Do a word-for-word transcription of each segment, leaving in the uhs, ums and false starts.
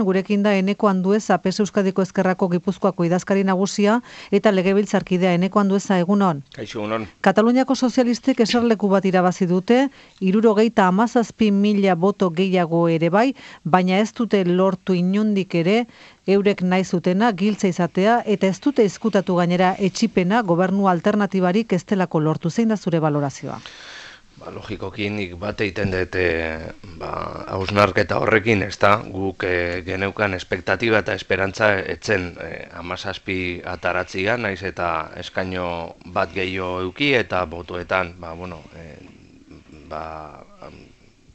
Gurekin da Eneko Andueza, P S Euskadiko Ezkerrako Gipuzkoako idazkari nagusia eta legebiltzarkidea. Eneko Andueza, egunon. Kaixo, egunon. Kataluniako sozialistek eserleku bat irabazi dute, hirurogeita hamazazpi mila boto gehiago ere bai, baina ez dute lortu inondik ere eurek nahi zutena giltza izatea eta ez dute ezkutatu gainera etxipena gobernu alternatibarik ez delako lortu. Zein da zure balorazioa? Ba, logikoki nik bat egiten dut e, ba, hausnarketa horrekin, ez da, guk e, geneukan espektatiba eta esperantza etzen e, hamazazpi ataratziga, naiz eta eskaino bat gehiago euki eta botoetan, ba, bueno, e, ba,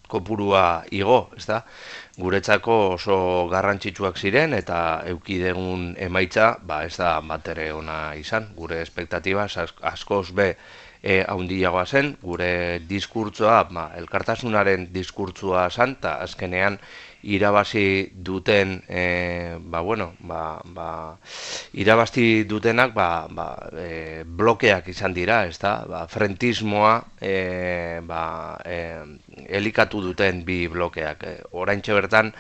kopurua igo, ez da, guretzako oso garrantzitsuak ziren eta euki degun emaitza, ba, ez da bat ere ona izan, gure espektatiba askoz be, E, haundiagoa zen, gure diskurtzoa, ba, elkartasunaren diskurtzoa zen, eta azkenean irabazi duten, e, ba, bueno, ba, ba, irabazi dutenak ba, ba, e, blokeak izan dira, ez da, ba, frentismoa e, ba, e, elikatu duten bi blokeak. E, oraintxe bertan,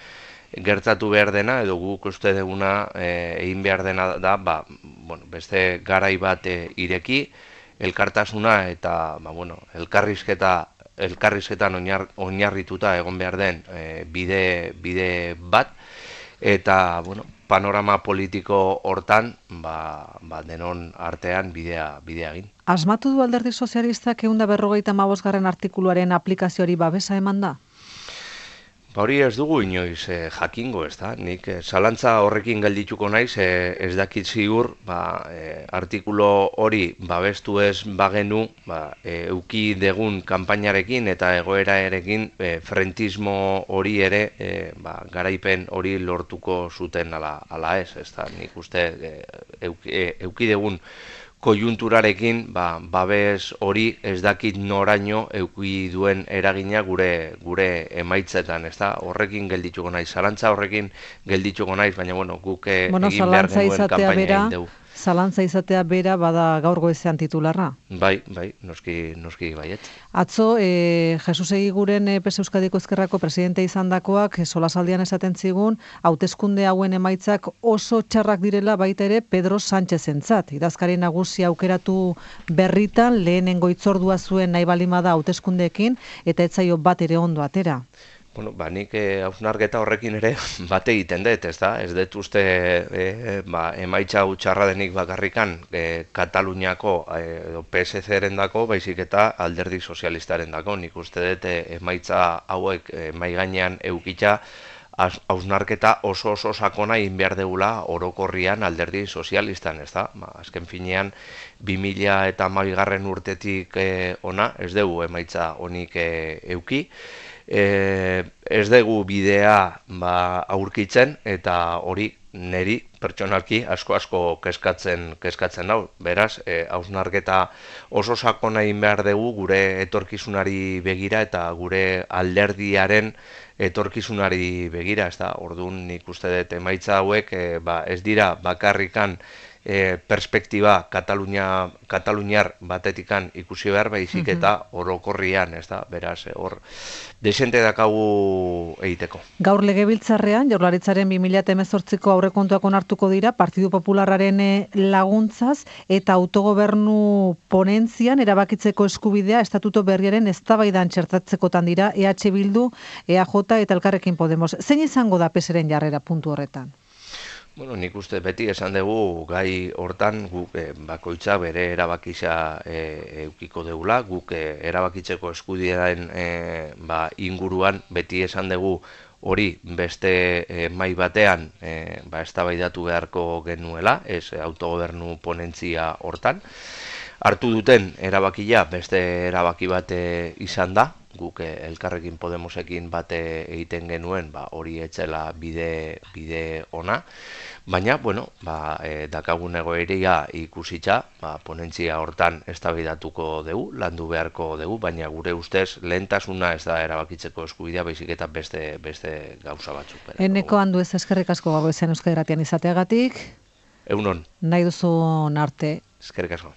gertatu behar dena, edo guk uste duguna e, egin behar dena da, ba, bueno, beste garai bat e, ireki, elkartasuna eta ba, bueno, elkarrizketa, elkarrizketan oinar, oinarrituta egon behar den e, bide, bide bat, eta bueno, panorama politiko hortan ba, ba, denon artean bidea, bidea egin. Asmatu du Alderdi Sozialistak ehun eta berrogeita hamabosgarren artikuluaren aplikazioari babesa eman da? Ba hori ez dugu inoiz eh, jakingo, ez da? Nik eh, zalantza horrekin geldituko naiz, eh, ez dakit ziur, ba, eh, artikulo hori babestu ez bagenu, ba, eh, euki degun kanpainarekin eta egoera erekin eh, frentismo hori ere, eh, ba, garaipen hori lortuko zuten ala, ala ez, ez da? Nik uste eh, euki, eh, euki degun koiunturarekin, ba, babes hori ez dakit noraino euki duen eragina gure gure emaitzetan, ez da? Horrekin geldituko naiz, zalantza horrekin geldituko naiz, baina bueno, guk bueno, egin behar genuen kanpaina egin dugu. Zalantza izatea bera bada gaur goizean titularra? Bai, bai, noski, noski baiet. Atzo, e, Jesus Egiguren e, P S Euskadiko Ezkerrako presidente izandakoak e, solasaldian esaten zigun, hauteskunde hauen emaitzak oso txarrak direla baita ere Pedro Sánchezentzat. Idazkari nagusia aukeratu berritan, lehenengo hitzordua zuen nahi balimada hauteskundeekin eta ez zaio bat ere ondo atera. Bueno, ba, nik hausnarketa horrekin ere bat egiten dut, ez da? Ez dut uste e, ba, emaitza hau txarra denik bakarrikan e, Kataluniako e, P S C-ren dako, baizik eta Alderdi Sozialistaren dako. Nik uste dut e, emaitza hauek e, mahai gainean eukitza hausnarketa oso oso sakona egin behar degula orokorrian Alderdi Sozialistan, ez da? Ba, azken finean, bi mila hamabigarren urtetik e, ona, ez dugu emaitza honik e, euki, E, ez dugu bidea ba, aurkitzen eta hori neri pertsonalki asko-asko keskatzen, keskatzen hau. Beraz, e, hausnarketa oso sakona egin behar dugu gure etorkizunari begira eta gure alderdiaren etorkizunari begira, ez da? Orduan nik uste dut emaitza hauek e, ba, ez dira bakarrikan E, perspektiba Katalunia, kataluniar batetikan ikusi behar baizik eta orokorrian, ez da, beraz, hor, desente dakagu egiteko. Gaur legebiltzarrean, Jaurlaritzaren bi mila hemezortziko aurrekontuak onartuko dira, Partidu Popularraren laguntzaz eta autogobernu ponentzian erabakitzeko eskubidea estatuto berriaren eztabaidan txertatzekotan dira E H Bildu, E A J eta Elkarrekin Podemos. Zein izango da P S ren jarrera puntu horretan? Bueno, nik uste beti esan dugu gai hortan guk e, bakoitza bere erabakitza e, eukiko deula, guk e, erabakitzeko eskubidearen e, ba, inguruan beti esan dugu hori beste e, mai batean e, ba, eztabaidatu beharko genuela, ez autogobernu ponentzia hortan. Hartu duten erabakia beste erabaki bat izan da, guk Elkarrekin Podemosekin bate egiten genuen, ba, hori etzela bide, bide ona, baina, bueno, ba, e, dakagun egoeria ikusitza, ba, ponentzia hortan eztabaidatuko dugu, landu beharko dugu, baina gure ustez lehentasuna ez da erabakitzeko eskubidea, baizik eta beste, beste gauza batzuk. Eneko Andueza, eskerrik asko gaur goizean Euskadi Irratian izateagatik. Egunon. Nahi duzun arte. Eskerrik asko.